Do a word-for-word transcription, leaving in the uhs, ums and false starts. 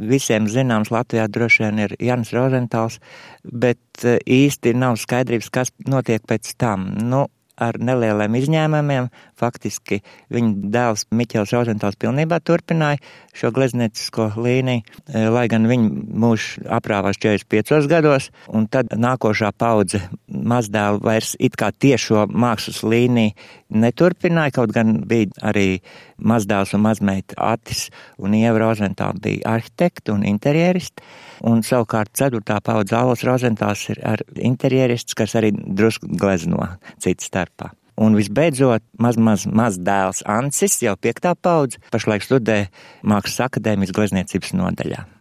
visiem zināms Latvijā droši vien ir Jānis Rozentāls, bet īsti nav skaidrības, kas notiek pēc tam. Nu, ar nelieliem izņēmumiem, faktiski viņa dēls Miķels Rozentāls pilnībā turpināja šo glezniecisko līniju, lai gan viņa mūžs aprāvās četrdesmit piecos gados, un tad nākošā paudze mazdēlu vairs it kā tiešo mākslas līniju neturpināja, kaut gan bija arī mazdēls un mazmeita Atis un Ieva Rozentāla bija arhitekti un interjeristi, un savukārt ceturtā paudze Alvs Rozentāls ir ar interjerists, kas arī drusku glezno citu starpā. Un visbeidzot, maz, maz, maz dēls Ancis, jau piektā paudze, pašlaik studē Mākslas akadēmijas glezniecības nodaļā.